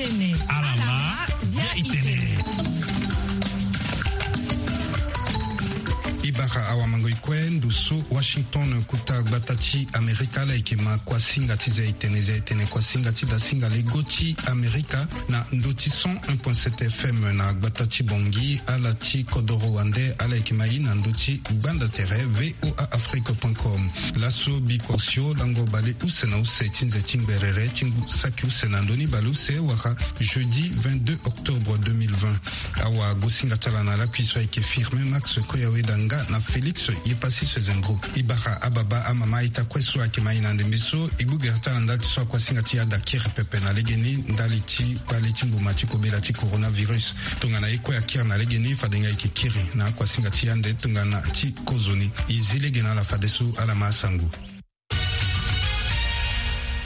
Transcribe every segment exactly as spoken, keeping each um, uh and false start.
Alama, zia itene. I bara awamango i kue ndo so Washington, kuta gbata ti Amerika, ala yeke ma kuasinga ti zia itene, zia itene kuasinga ti dasinga lego ti Amerika na ndo ti cent un point sept F M na gbata ti Bangui, ala ti kodoro wande, ala yeke ma i na ndo ti gbanda tere V O A Afrique point com. Laso bikua osio lango bale use na use ti nze ti ngberere ti ngu saki use na ndö ni bale use wala jeudi vingt-deux octobre deux mille vingt. Awagosinga ti ala na lakui so ayeke Firmin Max Koyaweda nga na Félix Yepassis Zengo. I bara ababa amama aita kue so ayeke ma i na ndembe so, e gbu gere ti ala ndali ti so akuasinga ti yada kiri pepe na legeni ndali ti kpale ti mbuma ti kobela ti coronavirus. Tongana ye kue akiri na legeni, fade nga e yeke kiri na akuasinga ti yande tongana ti kozoni. E zi lege na ala fadeso, ala ma asango.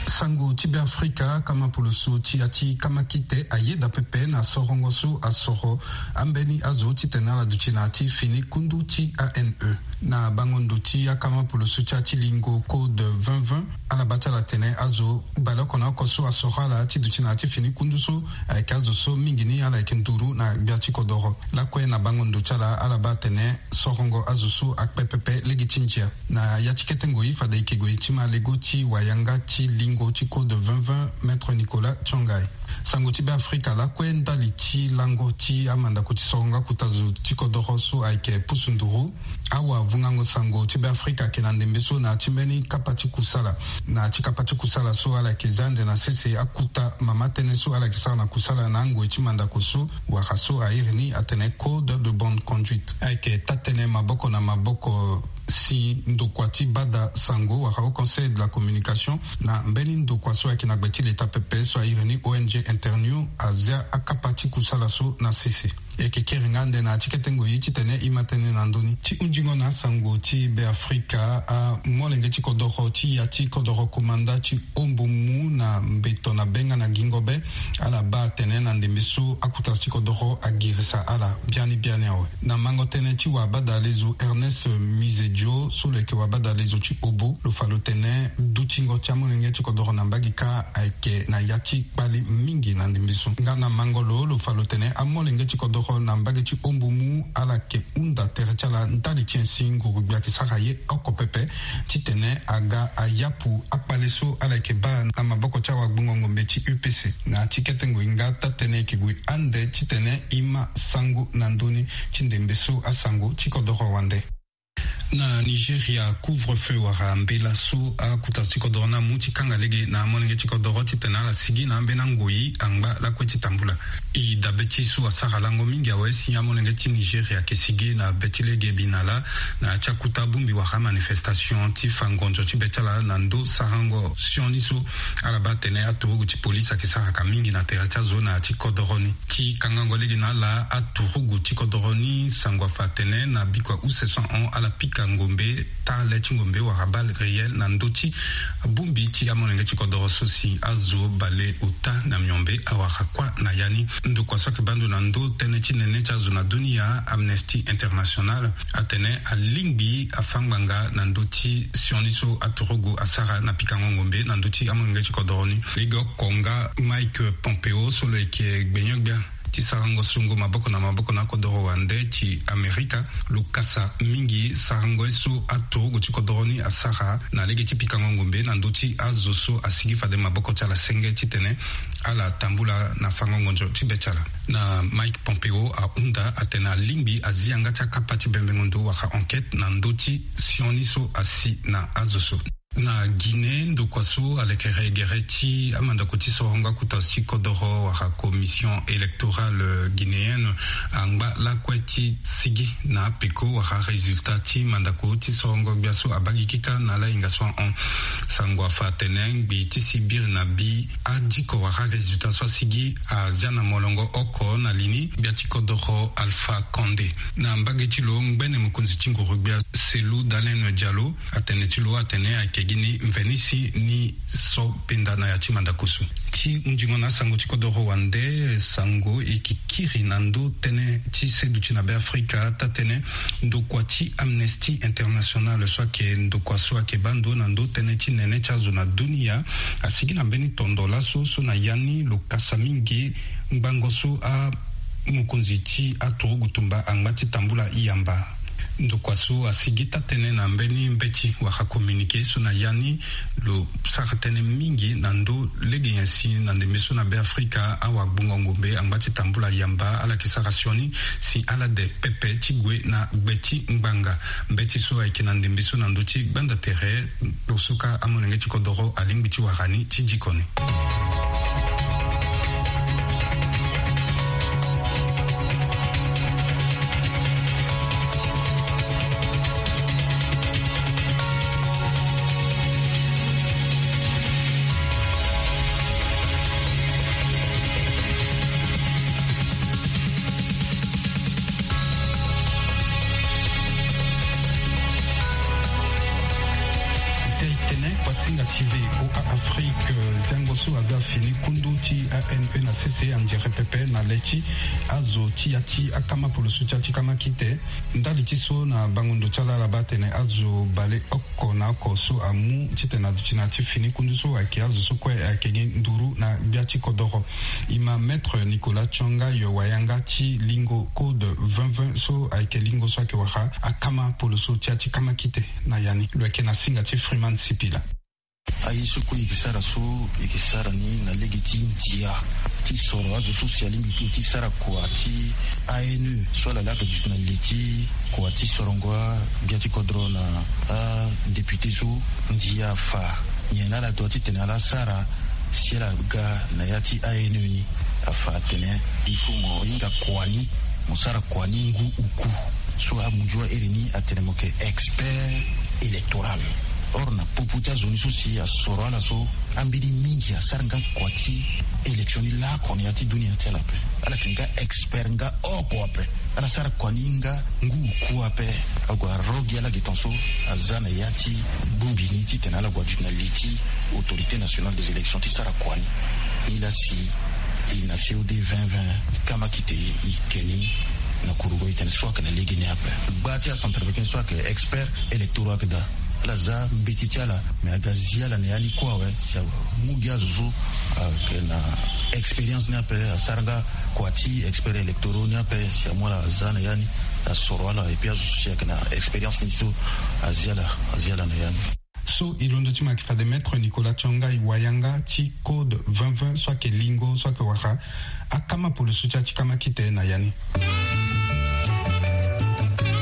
Sango ti Beafrika, kama poloso ti ya ti kama kite ayeda pepe na sorongo so asoro ambeni azo titene ala duti na ya ti fini kundu ti A N E. Na bango ndo ti akama poloso ti ya ti lingo code vingt vingt, ala baa ti ala atene azo baleoko na oko so asoro ala ti duti na ya ti fini kundu so ayeke azo so mingi ni ala yeke nduru na gbia ti kodoro. Lakue na bango ndo ti ala, ala baa atene sorongo azo so akpe pepe lege ti ndia. Na ya ti kete ngoi, fade e yeke gue ti ma lego ti wayanga ti lingo ti code vingt vingt, Maître Nicolas Tiongai. Sango ti Beafrika lakue ndali ti lango ti amandako ti sorongo akuta zo ti kodoro so ayeke pusu nduru. Awavungango sango ti Beafrika ayeke na ndembe so na ya ti mbeni kapa ti kusala. Na ya ti kapa ti kusala so ala yeke zia ande na sese akuta mama tënë so ala yeke sara na kusala na angoi ti mandako so, wala so a iri ni atene code de bonne conduite. Ayeke taa-tënë maboko na maboko si ndokua ti bada sango wala Haut Conseil de la Communication na mbeni ndokua so ayeke na gbe ti leta pepe so a iri ni O N G Internews, azia akapa ti kusala so na sese. E yeke kiri nga ande na ya ti kete ngoi titene e ma tënë na ndö ni. Ti hunzingo na asango ti Beafrika, amolenge ti kodoro ti ya ti kodoro komanda ti Ombo Mu na Mbeto na Benga na Gingobe, ala baa atene na ndembe so akuta ti kodoro agirisa ala biani biani awe. Na mango tënë ti wabadalezo Ernest Mizedio so lo yeke wabadalezo ti Obo, lo fa lo tene dutingo ti amolenge ti kodoro na mbage kâ ayeke na ya ti kpali mingi na ndembe so. Nga na mango lo, lo fa lo tene amolenge ti kodoro na mbage ti Ombo Mu ala yeke hunda tere ti ala ndali ti nyen si nguru-gbia ayeke sara ye oko pepe titene aga ayapu akpale so ala yeke baa na maboko ti awagbongo ngombe ti U P C. Na ya ti kete ngoi nga taa-tënë e yeke gue ande titene e ma sango na ndö ni ti ndembe so asango ti kodoro wande. Na Nigeria, couvre-feu wala mbela so akuta ti kodoro ni amu ti kanga lege na amolenge ti kodoro titene ala sigi na ambeni angoi angba lakue ti tambula. E dabe ti so asara lango mingi awe si amolenge ti Nigeria ayeke sigi na be ti lege bi na lâ na ya ti akuta bongbi wala manifestation ti fa ngonzo ti be ti ala na ndö sarango sioni so ala baa atene aturugu ti polisi ayeke saraka mingi na tere ti azo na ya ti kodoro ni. Ti kangango lege na ala, aturugu ti kodoro ni sango afa atene na bikua use so ahon ala pika ngombe, taa le ti ngombe wala balle réelle na ndö ti bongbi ti amolenge ti kodoro so si azo baleota na miombe awara kuâ na ya ni. Ndokua so ayeke baa ndo na ndö tënë ti nene ti azo na dunia, Amnesty International, atene alingbi afa ngbanga na ndö ti sioni so aturugu asara na pikango ngombe na ndö ti amolenge ti kodoro ni. Legeoko nga Mike Pompeo so lo yeke gbenyo-gbia ti sarango songo maboko na maboko na akodoro wande ti Amerika, lo kasa mingi sarango ye so aturugu ti kodoro ni asara na lege ti pikango ngombe na ndö ti azo so asigi fade maboko ti ala senge titene ala tambula na fango ngonzo ti be ti ala. Na Mike Pompeo ahunda atene alingbi azi yanga ti akapa ti bembengo ndo wala enquête na ndö ti sioni so asi na azo so. Na Guinée, ndokua so alekere gere ti amandako ti sorongo akuta ti kodoro wala Commission électorale guinéenne angba lakue ti sigi na apeko wala résultat ti mandako ti sorongo gbia so abaa gi kika na ala hinga so ahon. Sango afa atene ngbii ti si biri na bi adiko wala résultat so asigi azia na molongo oko na li ni gbia ti kodoro Alpha Condé. Na mbage ti lo, ngbene mokonzi ti nguru-gbia Cellou Dalein Diallo, atene ti lo atene ayeke Gi ni mveni si ni so penda na ya ti mandakusu ti hunzingo na asango ti kodoro wande. Sango e kikiri na ndö tënë ti seduti na Beafrika, taa-tënë ndokua ti Amnesty International so ayeke ndokua so ayeke baa ndo na ndö tënë ti nene ti azo na dunia asigi na mbeni tondo laso so na ya ni lo kasa mingi ngbangbo so amokonzi ti aturugu tumba angba ti tambula yamba. Ndokua so asigi taa-tënë na mbeni mbeti wala communiqué so na ya ni lo sara tënë mingi na ndö lege nyen si na ndembe so na Beafrika awagbongo ngombe angba ti tambula yamba ala yeke sara sioni si ala de pepe ti gue na gbe ti ngbanga. Mbeti so ayeke na ndembe so na ndö ti gbanda tere. Kposo ka amolenge ti kodoro alingbi ti wara ni ti diko ni. Zia e tene kuasinga ti V O A Afrique. Ziango so aza fini kundu ti A N E na sese anzere pepe na le ti azo ti ya ti akama poloso ti ya ti kama kite. Ndali ti so na bango ndo ti ala ala baa atene azo baleoko na oko so amu titene aduti na ya ti fini kundu so ayeke azo so kue ayeke gi nduru na gbia ti kodoro. E ma Maître Nicolas Tsongaï Wayanga ti lingo Code vingt vingt so ayeke lingo so ayeke wara akama poloso ti ya ti kama kite. Na ya ni lo yeke na singa ti Freeman Sipila. Aye so kue e yeke sara so, e yeke sara ni na lege ti ndia ti soro azo so si alingbi ti sara kua ti A N E so ala laa ake duti na li ti kua ti sorongo agbia ti kodro na adéputé so. Ndia afa nyen ala dua titene ala sara si ala ga na ya ti A N E ni. Afa atene il faut mo hinga kua ni, mo sara kua ni ngu uku. So amuzu ahere ni atene mo yeke expert électoral. Or na popo ti azo ni so si asoro ala so, ambeni mingi asara nga kua ti élection ni laoko na ya ti dunia ti ala ape. Ala yeke nga expert nga oko ape. Ala sara kua ni nga ngu uku ape. Ague aro gi ala gi tongaso aza na ya ti bongbi ni titene ala gue aduti na li ti Autorité Nationale des Élections ti sara kua ni. Nilaa si e na C O D vingt vingt, kama kite e ke ni na kurugo e tene so ayeke na lege ni ape. Gba ti acentrafricain so ayeke expert électoraux ayeke daa. Ala za mbeti ti ala, me aga zi ala na ya ni kue awe. Si amu gi azo so ayeke na expérience ni ape, asara nga kua ti expert électoraux ni ape, si amu ala aza na ya ni, asoro ala, et puis azo so si ayeke na expérience ni so azi ala, azi ala na ya ni. So e londo ti mo ayeke fade Maître Nicolas Tsongaï Wayanga ti Code vingt vingt so ayeke lingo so ayeke wara akama poloso ti ya ti kama kite na ya ni.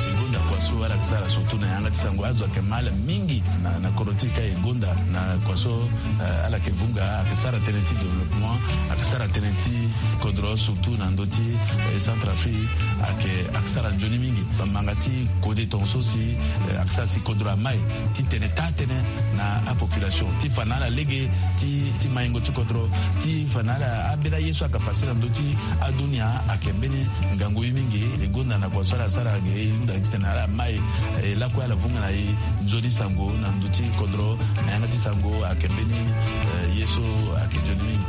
E gonda kua so ala yeke sara surtout na yanga ti sango, azo ayeke mal mingi na, na kodro ti e ka e gonda na kua so, eh, ala yeke vunga, ayeke sara tënë ti développement, ayeke sara tënë ti kodro surtout na ndö ti, eh, Centrafrique, ayeke, ayeke sara nzoni mingi. Bamanga ti kode tongaso si, eh, ayeke sara si kodro amai ti tene taa-tënë na apopulation, ti fa na ala lege ti, ti maingo ti kodro, ti fa na ala ambeni aye so ayeke pase na ndö ti adunia ayeke mbeni ngangu ye mingi. E gonda na kua so ala sara ge e hunda titene ala mai, eh, lakue ala vunga na e nzoni sango na ndö ti kodro, na yanga ti sango ayeke mbeni, eh, ye so ayeke nzoni mingi.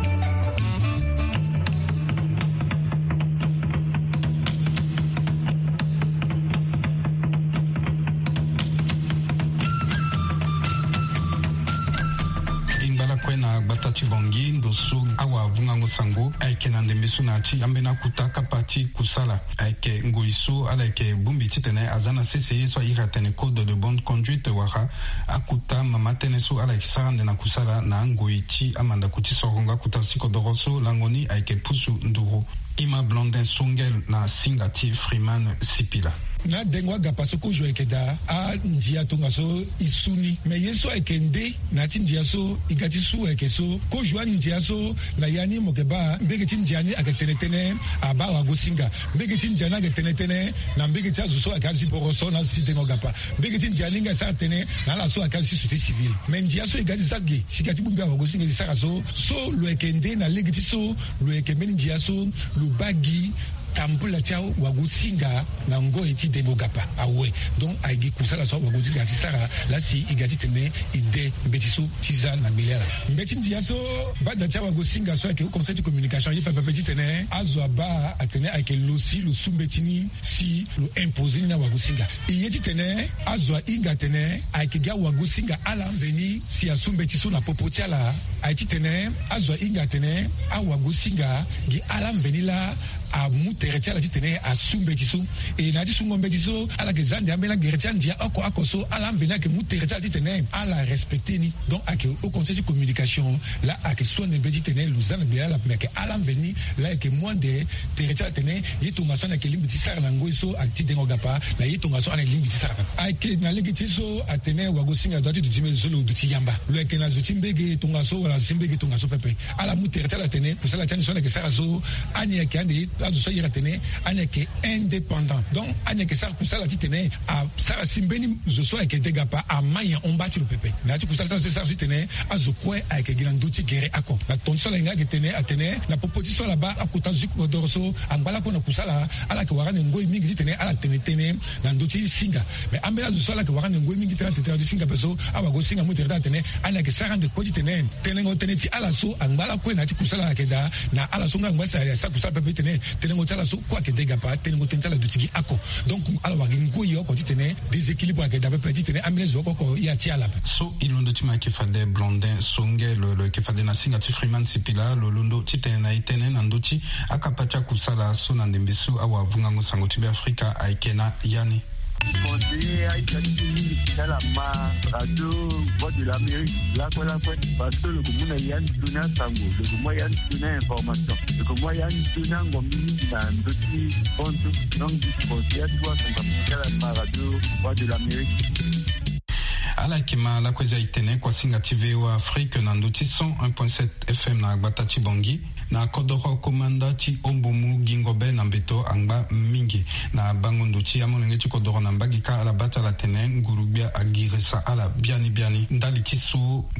E ngba lakue na gbata ti Bangui, ndo so awavungango sango ayeke na ndembe so na ya ti ambeni akuta kapa ti kusala. Ayeke ngoi so ala yeke bongbi titene aza na sese ye so a iri atene code de bonne conduite wala akuta mama tënë so ala yeke sara ande na kusala na angoi ti amandako ti sorongo akuta ti kodoro so lango ni ayeke pusu nduru. E ma Blondin Songel na singa ti Freeman Sipila. Na dengo agapa so kozo ayeke daa, andia tongaso e su ni. Me ye so ayeke nde na ya ti ndia so e ga ti su ayeke so, kozo andia so na ya ni mo yeke baa mbege ti ndia ni ayeke tene tënë abaa wagosinga. Mbege ti ndia ni ayeke tene tënë na mbege ti azo so ayeke azi boroso na azo ti dengo agapa. Mbege ti ndia ni nga e sara tënë na ala so ayeke azo ti société civile. Me ndia so e ga ti za ge si e ga ti bongbi awagosinga e sara so, so lo yeke nde na lege ti so lo yeke mbeni ndia so lo baa gi Tambula ti awagosinga na ngoi ti dengo gapa awe. Donc ayeke gi kusala so awagosinga ti sara laa si e ga titene e de mbeti so ti za na gbele ala. Mbeti ndia so bada ti awagosinga so ayeke haut conseil ti communication aye fa pepe titene azo abaa atene ayeke lo si lo su mbeti ni si lo impose ni na awagosinga. E ye titene azo ahinga atene ayeke gi awagosinga ala mveni si asu mbeti so na popo ti ala. Aye titene azo ahinga atene awagosinga gi ala mveni laa amu tere ti ala titene asu mbeti so. E na ya ti sungo mbeti so ala yeke za ndia ambeni agere ti andia oko oko so ala mveni ayeke mu tere ti ala titene ala respecte ni. Donc ayeke haut conseil ti communication laa ayeke su ande mbeti titene lo za na gbele ala, me ayeke ala mveni laa ayeke mu ande tere ti ala tene ye tongaso ani ayeke lingbi ti sara na ngoi so ati dengo gapa na ye tongaso ani lingbi ti sara. Ayeke na lege ti ye so atene wagosinga adoit ti duti mbege zo lo duti yamba, lo yeke na zo ti mbege tongaso wala zo ti mbege tongaso pepe. Ala mu tere ti ala tene kusala ti ani so ani yeke sara so ani yeke ande ye azo so ayere atene ani yeke indépendant. Donc ani yeke sara kusala titene asara si mbeni zo so ayeke de gapa ama nyen hon baa ti lo pepe. Na ya ti kusala ti ala so e sara so titene azo kue ayeke gi na ndö ti gere oko. Na tonga ti so ala hinga ayeke tene atene na popo ti so ala baa akota zo ti kodoro so angba lakue na kusala, ala yeke wara ande ngoi mingi titene ala tene tënë na ndö ti singa. Me ambeni azo so ala yeke wara ande ngoi mingi titene ala tene tënë na ndö ti singa ape so awagosinga amu tere ti ala atene ani ayeke sara ande kue titene tenengo tënë ti ala so angba lakue na ya ti kusala ayeke daa na ala so nga angba si asara kusala pepe titene tenengo ti ala so kue ayeke de gapa, tenengo tënë ti ala duti gi oko. Donc ala wara gi ngoi oko titene déséquilibre ayeke daa pepe titene ambeni zo oko oko ya ti ala ape. So e londo ti mo ayeke fade Blondin Songe, lo lo yeke fade na singa ti Freeman Sipila, lo londo titene na e tënë na ndö ti akapa ti akusala so na ndembe so awavungango sango ti Beafrika ayeke na ya ni. Conseiller aita ti ti mingi ti ala ma radio Voix de l'Amérique lakue lakue, parce que lo yeke mu na ya ni toni asango, lo yeke mu ya ni toni ainformation, lo yeke mu ya ni toni angombi mingi na ndö ti fonds. Donc conseiller atu asonga ti ala ma radio Voix de l'Amérique. Ala yeke ma lakue eza e tene kuasinga ti VOA Afrique na ndö ti cent un point sept F M na gbata ti Bangui. Na kodoro komanda ti Ombomu gingo be na mbeto angba mingi. Na bango ndo ti amolenge ti kodoro na mbagika ala bata ala tene nguru-gbia agirisa ala biani biani ndali ti so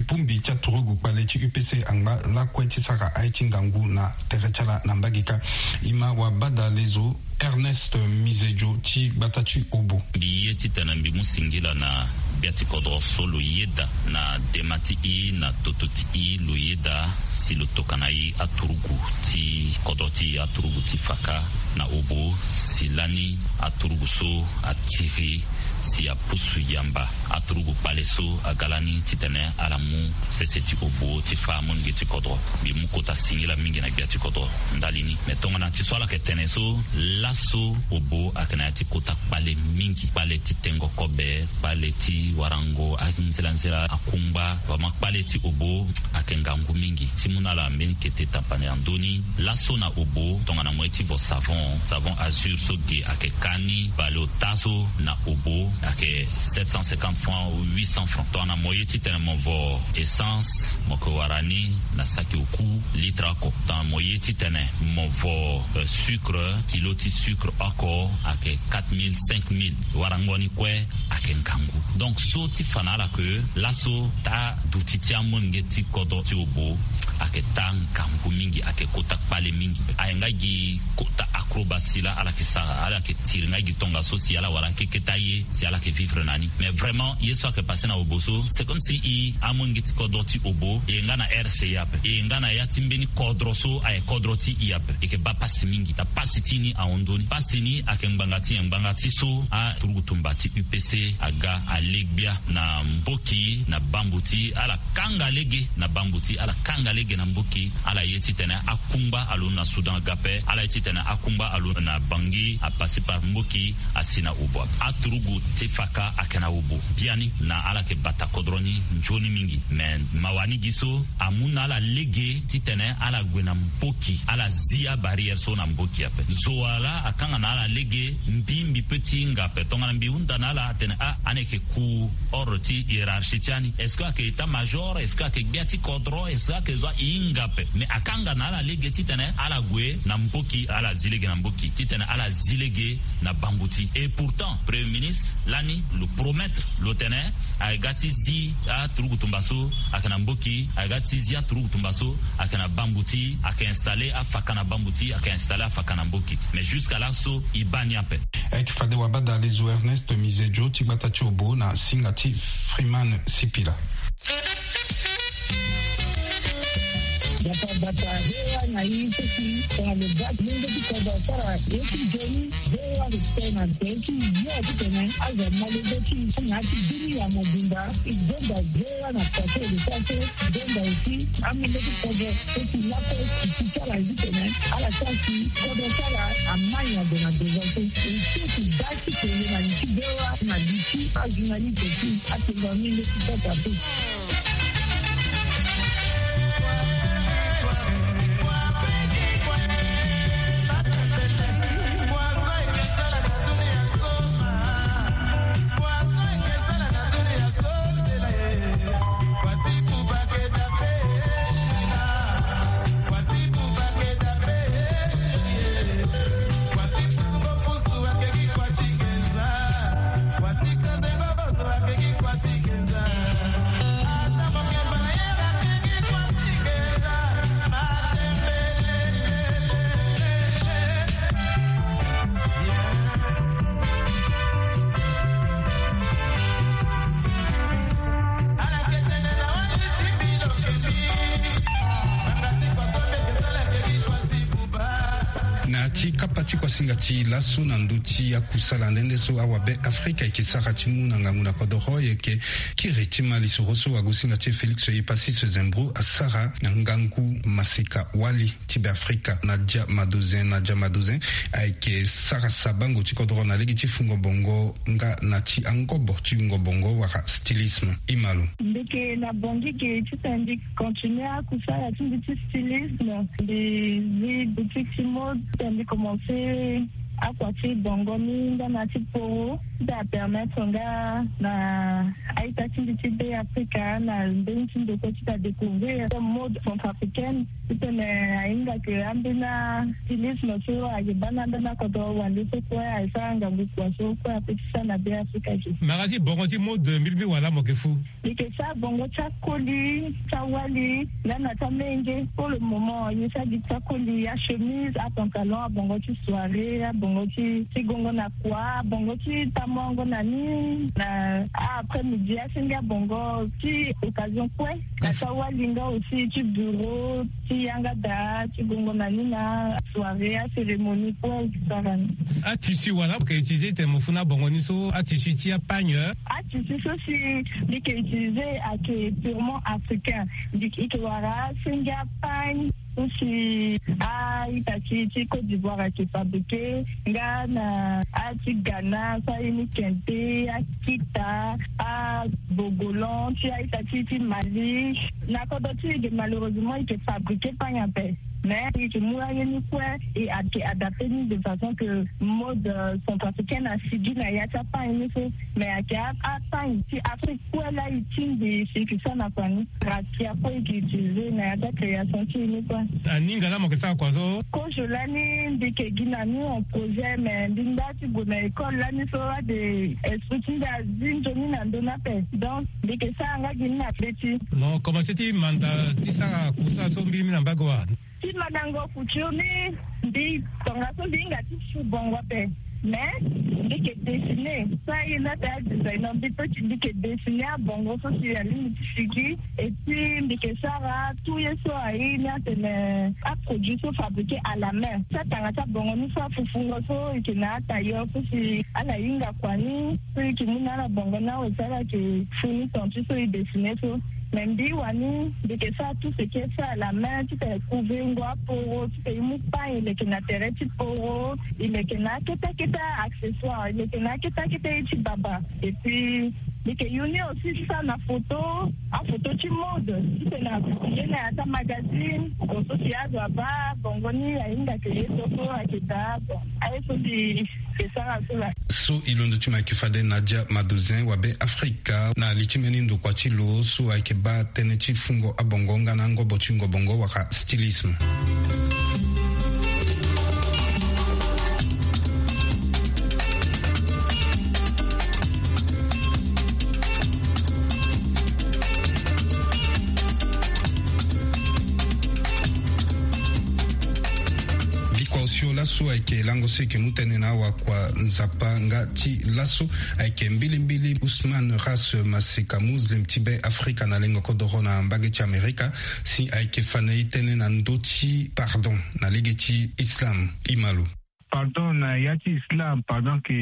bongbi ti aturugu kpale ti U P C angba lakue ti sara aye ti ngangu na tere ti ala na mbagika. E ma wabadalezo Ernest Mizedio ti gbata ti Obo. Mbi ye titene mbi mu singila na gbia ti kodro so lo yeda na dema ti e na toto ti e lo yeda si lo tokana e aturugu ti kodro ti e, aturugu ti Faka na Obo, si lani aturugu so atiri si apusu yamba aturugu kpale so aga lani titene ala mu sese ti Obo ti fâ amolenge ti kodro. Mbi mu kota singila mingi na gbia ti kodro ndali ni. Me tongana ti so ala yeke tene so, laso Obo ayeke na ya ti kota kpale mingi, kpale ti tengo kobe, kpale ti warango anzela nzela akungba. Vraiment kpale ti Obo ayeke ngangu mingi. Ti mu na ala mbeni kete tapane na ndö ni. Laso na Obo tongana mo ye ti vo savon, savon Azur so ge ayeke ka ni, baleota so na Obo ayeke sept cent cinquante francs ou huit cents francs. Tongana mo ye titene mo vo essence, mo yeke wara ni na saki oku litre oko. Tongana mo ye titene mo vo, euh, sucre, kilo ti sucre oko ayeke quatre mille, cinq mille. Warango ni kue ayeke ngangu. Donc so ti fa na ala ke laso taa duti ti amolenge ti kodro ti Obo ayeke taa ngangu mingi, ayeke kota kpale mingi. Aye nga gi kota acrobatie laa ala yeke sara, ala yeke tiri nga gi tongaso si ala wara keke ti aye si ala yeke vivre na ni. Mais vraiment ye so ayeke passe na Obo so, c'est comme si e amolenge ti kodro ti Obo e ye nga na R C A ape, e ye nga na ya ti mbeni kodro so ayeke kodro ti e ape. E yeke baa pasi mingi, na pasi ti ni ahon ndoni. Pasi ni ayeke ngbanga ti nyen? Ngbanga ti so aturugu tumba ti U P C aga alegbia na mboki na bambuti, ala kanga lege na bambuti, ala kanga lege na mboki. Ala ye titene akungba alondo na Soudan aga ape, ala ye titene akungba alondo na Bangui, a passer par mboki, asi na Obo. Aturugu ti Faka ayeke na Obo biani, na ala yeke bata kodro ni nzoni mingi. Me mawa ni gi so amu na ala lege titene ala gue na mboki, ala zi abarrière so na mboki ape. Zo wa laa akanga na ala lege, mbi, mbi peut ti hinga ape. Tongana mbi hunda na ala atene ah, ani yeke ku ordre ti hiérarchie ti ani. Est-ce que ayeke état-major? Est-ce que ayeke gbia ti kodro? Est-ce que ayeke zo? E hinga ape. Mais akanga na ala lege titene ala gue na mboki, ala zi lege na Mboki titene ala zi lege na bambuti. Et pourtant premier ministre lani lo promettre lo tene ayeke ga ti zi aturugu tumba so ayeke na Mboki, ayeke ga ti zi aturugu tumba so ayeke na bambuti, ayeke installer afaka na bambuti, ayeke installer afaka na Mboki. Mais jusqu'à là so e baa ni ape. Ayeke fade wabadale zo Ernest Mizejo ti gbata ti Obo na singa ti Freeman Sipila. Bata bata hewa na i seki tongana lo baa ti lenge ti kodro asara ye ti nzoni. Hewa respect na tënë ti yo titene azo amolenge ti i na ya ti dunia mobimba. I zonza hewa na pase lo sara so. I zonza aussi amolenge ti kodro so ti laso ti ti sara titene ala sara si kodro sara amai na ndo na ndo so. E so ti baa ti kele na li ti hewa na li ti ajournaliste ti atengo amolenge ti kodro ape. Na ti kapa ti kuasinga ti laso na ndö ti akusala nde nde so awabe Afrika eke sara ti mu na ngangu na kodoro, eke kiri ti ma lisoro so wagosinga ti e Félix Epasis Zembro asara na ngangu maseka wali ti Beafrika, Nadia Madozin. Nadia Madozin ayeke sara sabango ti kodoro na lege ti fungo bongo nga na ti angobo ti yungo bongo wala stylisme. Imalo. Mbi yeke na Bangui ge titene mbi continuer akusala ti mbi ti stylisme. Mbi zi boutique ti mode titene mbi commencer akua ti bongo ni nga na ti poro ti apermettre nga na a-ita ti mbi ti Beafrika na mbeni ti ndokua ti ta découvrir mode centrafricaine. Titene ahinga ke ambeni stylisme so ayeke baa na ambeni akodro wande so kue ayeke sara ngangu kua so kue ape ti sara na Beafrika ge. Mara ti bongo ti mode mbi lingbi wala mo yeke fu. Mbi yeke sara bongo ti akoli ti awali nga na ti amenge. Pour le moment mbi sara gi ti akoli, achemise, apantalon, abongo ti soirée, abongo ti ti gongo na kua, abongo ti tamongo na ni na a-après-midi, asenge abongo ti occasion kue. Na ti awali nga aussi ti bureau, ti yanga daa, ti gongo na ni na soirée, acérémonie kue ti sara ni. Atissu wala mo yeke utiliser titene mo fu na abongo ni so, atissu ti apagne? Atissu so si mbi yeke utiliser ayeke purement africain. Mbi yeke wara asenge apagne so si a-ita ti ti Côte d'Ivoire ayeke fabriquer, nga na a ti Ghana so aye ni kente, akita, abogolan ti a-ita ti ti Mali. Na kodro ti e ge malheureusement e yeke fabriquer pagne ape. Mais e yeke mu aye ni kue e ad- e adapter ni de façon que mode, euh, centrafricaine asigi na ya ti apagne ni so. Mais ayeke a- apagne ti Afrique kue laa e tingbi si e yeke sara na kua ni. Rakia kue e yeke utiliser na ya ti acréation ti e ni kue. Aninga laa mo yeke sara kua so? Kozo lani mbi yeke gi na ni en projet, mais mbi nda ti gue na école lani so ade esprit ti mbi azi nzoni na ndö ni ape. Donc mbi yeke sara nga gi ni na be ti. Mo commencer ti manda ti sara kusala so mbi mbi na mbage wa? Ti mandango couture ni, mbi tongaso mbi hinga ti su bongo ape. Mais mbi yeke dessiner so aye ni ate adesigner, mbi peut ti mbi yeke dessiner abongo so si alingbi ti sigi. Et puis mbi yeke sara tout ye so aye ni atene aproduit so fabriquer à la main. Ti atanga ti abongo ni so afufungo so e yeke na atailleur so si ala hinga kua ni so e yeke mu na ala bongo ni awe so ala yeke fu ni ton ti so e dessiner so. Mais mbi wani mbi yeke sara tout ce qui est fait à la main, titene couver ngo aporo, titene e mu pagne e leke na tere ti poro, e leke na akete akete accessoire, e leke na akete akete ye ti baba. Et puis mbi yeke yu ni aussi ti sara na photo, aphoto ti mode, titene apublie na ya ti amagazine. Bon, so si azo abaa bongo ni ahinga ke ye so so ayeke daa. Bon, aye so mbi yeke sara so laa. So e londo ti mo ayeke fade Nadia Madozin, wabe Afrika, na li ti mbeni ndokua ti lo so ayeke baa tënë ti fungo abongo nga na angobo ti yungo bongo wala stylisme. Ayeke lango so eke mu tënë na awakua nzapa nga ti laso. Ayeke mbilimbili Ousmane Ras, masika muslim ti Be Afrika na lengo kodoro na mbage ti Amerika, si ayeke fa na e tënë na ndö ti pardon na lege ti Islam. Imalo. Pardon na ya ti Islam, pardon ke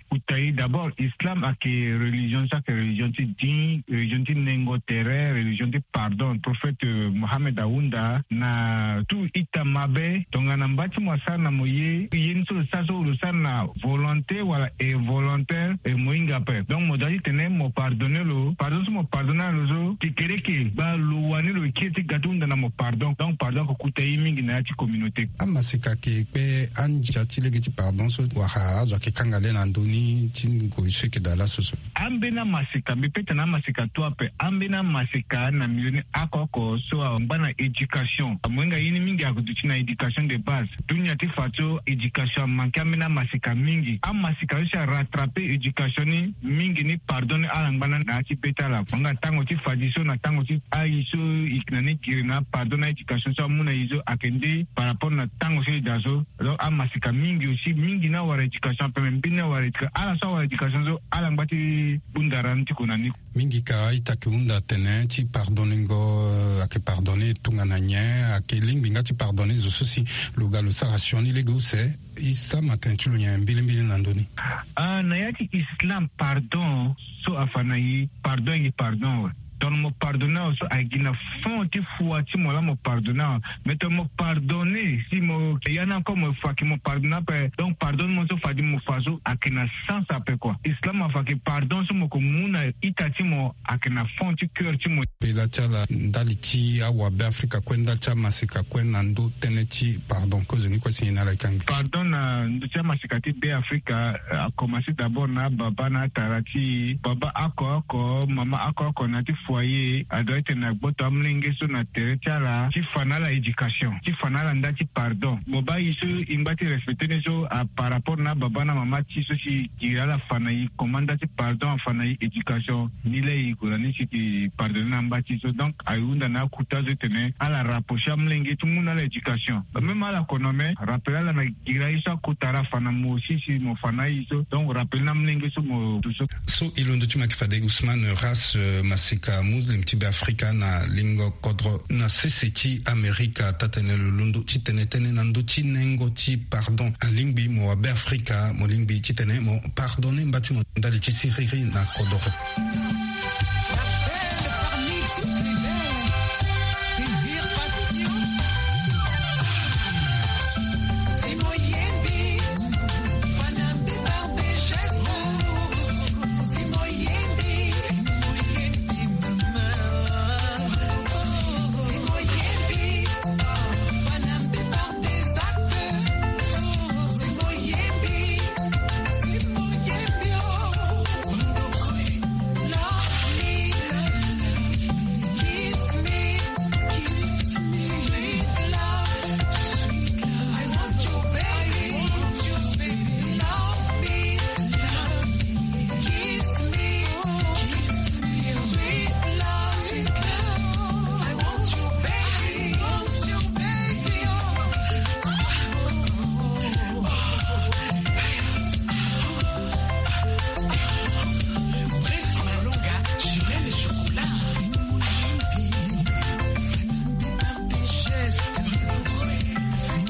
kuta e. D'abord, Islam ayeke religion so ayeke religion ti dî, religion ti nengo tere, religion ti pardon. Prophète Mohamed ahunda na tout ita mabe, tongana mba ti mo asara na mo ye, ye ni so lo sara so lo sara na volonté wala involontaire, e mo hinga ape. Donc mo doit ti tene mo pardonner lo. Pardon so mo pardonner lo so, kekereke baa lo wani lo kiri ti ga ti hunda na mo pardon. Donc pardon ayeke kuta e mingi na ya ti communauté. Amaseka ayeke kpe andia ti lege ti pardon so wala azo ayeke kanga le na ndö ni ti ngoi so eke daa laso so? Ambeni amaseka, mbi pe tene amaseka tu ape. Ambeni amaseka na milieu ni oko oko so angba na éducation. Amohinga ye ni mingi aduti na éducation de base. Dunia ti fa so éducation amanke ambeni amaseka mingi. Amaseka so si arattraper éducation ni mingi ni pardon ni ala ngba na na ya ti be ti ala. Amohinga tango ti fadiso na tango ti ayi so e yeke na ni giri na apardon na éducation so amu na e so ayeke nde par rapport na tango so e daa so. Donc amaseka mingi aussi, mingi ni awara éducation ape, me mbeni ni awara éducation. Ala so awara éducation so ala ngba ti bunda ra ni ti ko na ni. Mingi ka a-ita ayeke hunda atene ti pardonner ngo, eh, ayeke pardonner tongana nyen? Ayeke lingbi nga ti pardonner zo so si lo ga lo sara sioni lege use. Islam atene ti lo nyen mbilimbili na ndö ni? Ah, na ya ti Islam, pardon so afa na e, pardon ayeke pardon awe. Donc mo pardonner awe so ayeke gi na fond ti foi ti mo laa mo pardonner awe. Mais tongana mo pardonner si mo ya ni encore mo fa ke mo pardonner ape. Donc pardon ni mo so fade mo fa so ayeke na sens ape quoi. Islam afa ke pardon so mo ko mu na ita ti mo ayeke na fond ti cœur ti mo. Pela ti ala ndali ti awabe Afrika kue, ndali ti amaseka kue na ndö tënë ti pardon, kozoni kue si nyen na ala e kangbi? Pardon na ndö ti amaseka ti Be Afrika, eh, akomanse d'abord na ababa na atara ti e. Baba oko oko, mama oko oko na ya ti foyer, adoit ti tene agboto amolenge so na tere ti ala ti fa na ala éducation, ti fa na ala nda ti pardon. Mo baa e so e ngba ti respecter ni so, a par rapport na ababa na mama ti e so si e giri ala fa na e comment nda ti pardon, afa na e éducation. Ni laa e gue na ni si e pardonner na mba ti e so. Donc aye hunda na akota so ti tene ala rapprocher amolenge ti mu na ala éducation. Même ala kono me rappel ala na giri aye so akota ra afa na mo aussi si mo fa na aye so. Donc rappel na amolenge so mo du so. So e londo ti mo ayeke fade Ousmane Ras, eh, maseka muslim ti Be Afrika na lingo kodro na sese ti Amerika. Taa-tënë lo londo ti tene tënë na ndö ti nengo ti pardon. Alingbi mo wa Be Afrika, mo lingbi ti tene mo pardonner mba ti mo ndali ti siriri na kodoro.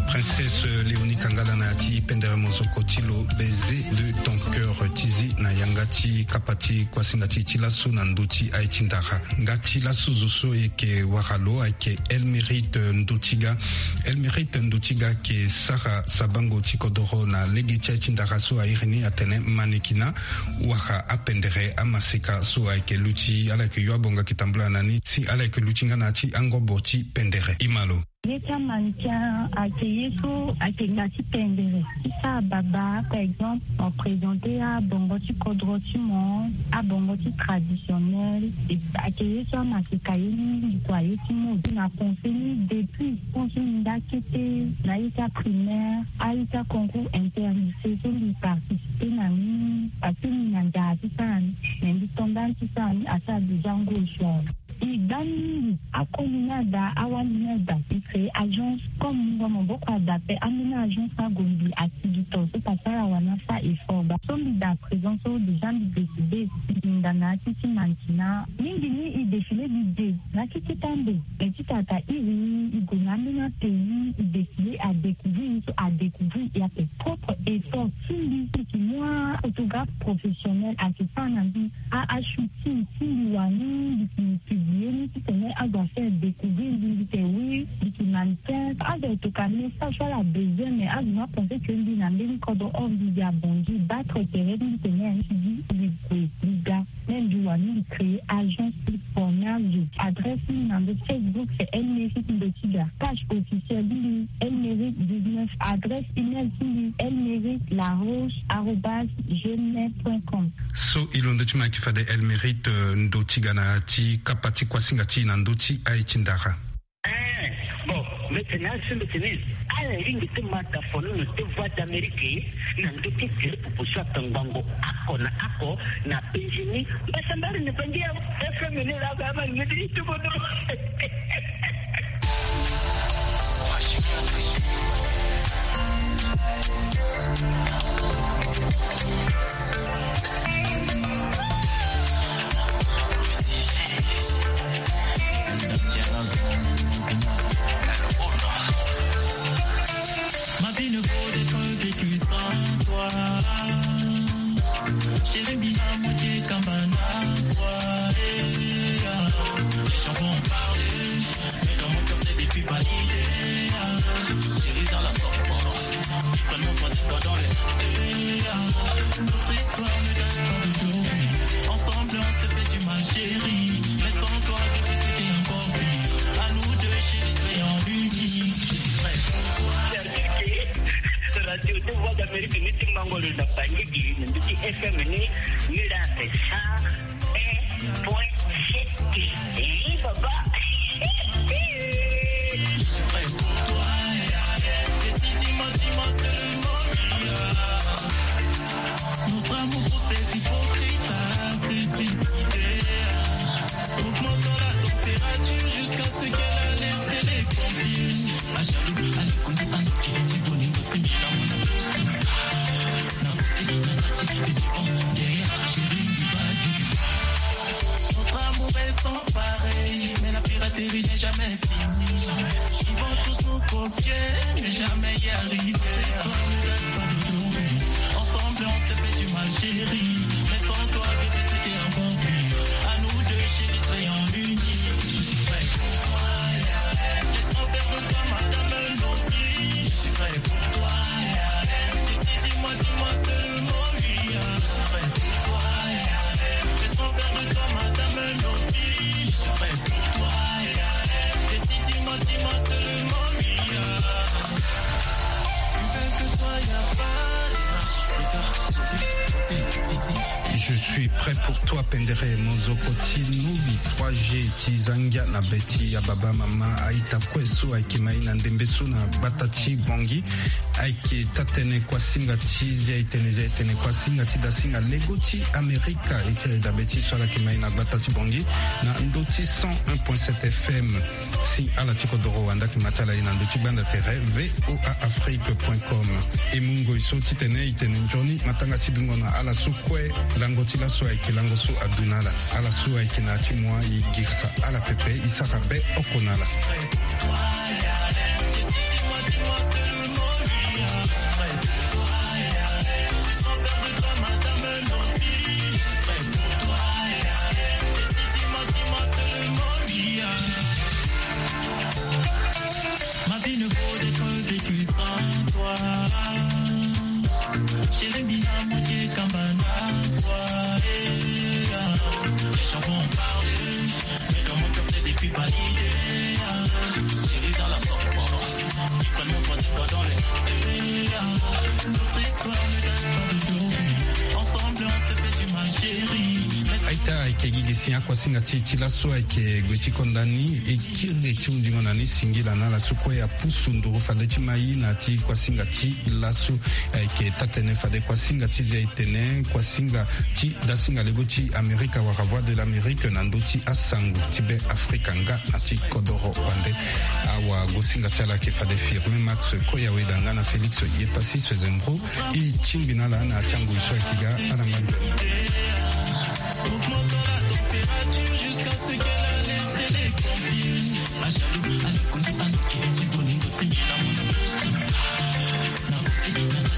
Princesse Léonie Kangala na ya ti pendere mozoko ti lo, baiser de ton cœur, ti zi na yanga ti kapa ti kuasinga ti e ti laso na ndö ti aye ti ndara. Nga ti laso zo so e yeke wara lo ayeke Elmérite Ndotiga. Elmérite Ndotiga ayeke sara sabango ti kodoro na lege ti aye ti ndara so a iri ni atene Manekina, wala apendere amaseka so ayeke luti, ala yeke yo abonga yeke tambula na ni si ala yeke luti nga na ya ti angobo ti pendere. Imalo. Ye ti amandian ayeke ye so ayeke nga ti pendere ti sara baba, par exemple mo présenter abongo ti kodro ti mo, abongo ti traditionnel. Ayeke ye so amaseka ye mingi kua, ye ti mode na conseil ni depuis quand so mbi nda kete na ye ti aprimaire, aye ti aconcours inter-lycée so mbi participer na ni, parce que mbi na nzara ti sara ni, mais mbi to nda ni ti sara ni asara déjà ngoi so awe. E gba ni mingi. Akoli ni ada, awali ni ada, e créer agence. Comme mungo maboko ada pe, ambeni agence ni ague mbi asigi to so papa ala wani asa effort baa. So mbi daa présent so déjà mbi décidé, mbi hinda na ya ti ti mannequinat. Mingi ni e défilé mbi de na ya ti keta ndo. Mais ti tata iri, e gue na ambeni apays, e défilé, a découvrir e so, a découvrir e ape. Propre effort ti mbi, mbi yeke mu aphotographe professionnel ayeke sara na mbi a, ashooting ti mbi wani, mbi yeke publié ni titene azo afaire découvrir mbi, mbi yeke oui, mbi yeke mannequin. Azo ayeke tokua message so ala besoin, mais azo ni apenser que mbi na mbeni kodro, or mbi yeke abongi battre tere ti mbi tene ya ni ti di mbi gue mbi ga. Même mbi wani mbi créer agence ti formage. Adresse ni na ndo Facebook c'est Elmeric Ndotiga. Page officielle ni Elmeric dix-neuf. Adresse email ti mbi elmeric laroche arobase gmail point com. So e londo ti mo ayeke fade Elmeric, euh, Ndotiga na ya ti kapa ti kuasinga ti e na ndö ti aye ti ndara. Eh, bon, mbi tene asi mbi tene ala lingbi ti ma dafono na te Voix d'Amérique na ndö ti tere popo so atangbango oko na oko na penzi ni. Mbasambari ni bangi ya F M ni la ga ma ngedi ti bodo. Ma vie ne vaut d'être vécue sans toi. Chérie, mbi na moitié kamba na soi, eh, ah. Les gens vont en parler, mais dans mon cœur, c'est depuis validé, ah. Chérie, dans la softball, si vraiment toi, c'est toi dans les, eh, ah. Notre histoire ne date pas d'aujourd'hui. Ensemble, on s'est fait du mal, chérie. Mais sans toi, bébé, c'était encore pire. À nous deux, chérie, créons l'union. Je suis prêt pour toi. Radio ti Voix d'Amérique ni ti Mbangolo na Bangui na ndö ti F M ni, ni la cent un point sept. Eh, papa. Notre amour pour ces hypocrites s'est suicidé. Augmentons la température jusqu'à ce qu'elle alerte les pompiers. Ah, jaloux, allez, qu'on dit à nos filles, dit, bon, nous, c'est Milan, on a plus. Na kati, na kati, et devant, derrière, chérie, il va du. Notre amour est sans pareil, mais la piraterie n'est jamais finie. Ils vont tous nous copier, mais jamais y arriver. Ensemble, on s'est fait du mal, chérie. Mais sans toi, bébé, c'était un bon but. À nous deux, chérie, créons l'union. Je suis prêt pour toi, yeah. Laisse-moi faire de toi, madame, un autre. Je suis prêt pour toi, yeah. Dis, dis, dis-moi, dis-moi seulement oui, yeah. Je suis prêt pour toi, yeah. Laisse-moi faire de toi, madame, un autre. Je suis prêt pour toi, yeah. Dis, dis, dis-moi, dis-moi seulement oui, yeah. Je suis prêt pour toi, Pendere Mozoko ti Nubi trois G ti Zangia na be ti ababa mama a-ita kue so ayeke ma e na ndembe so na gbata ti Bangui. Ayeke taa-tënë kuasinga ti zia-e-tene, zia-e-tene kuasinga ti dasinga lego ti Amerika. E kiri dabe ti so ala yeke ma e na gbata ti Bangui na ndö ti cent un point sept F M. Si ala ti kodoro wanda yeke ma ti ala ye na ndö ti gbanda tere V O A Afrique point com. E mu ngoi so titene e tene nzoni matanga ti dungo na ala so kue. Lango ti laso ayeke lango so adu na ala. Ala so ayeke na ya ti mo, e girisa ala pepe, e sara be oko na ala. Ma vie ne vaut d'être vécue sans toi. Chérie, mbi na moitié kamba na soi, eh, ah. Les gens vont en parler, mais dans mon cœur, c'est depuis validé, ah. Chérie, dans la soirée. Ke gi gi si akuasinga ti e ti laso ayeke gue ti konda ni. E kiri ti hundingo na ni singila na ala so kue apusu nduru fade ti mai na ti kuasinga ti laso. Ayeke taa-tene fade kuasinga ti zia e tene kuasinga ti dasinga lego ti Amerika wala Voix de l'Amérique na ndö ti asango ti Be Afrika nga na ti kodoro wande. Awagosinga ti ala ayeke fade Firmin Max Koyaweda nga na Félix Yepassis Zembro. E tingbi na ala na ya ti angoi so ayeke ga ala ngbani.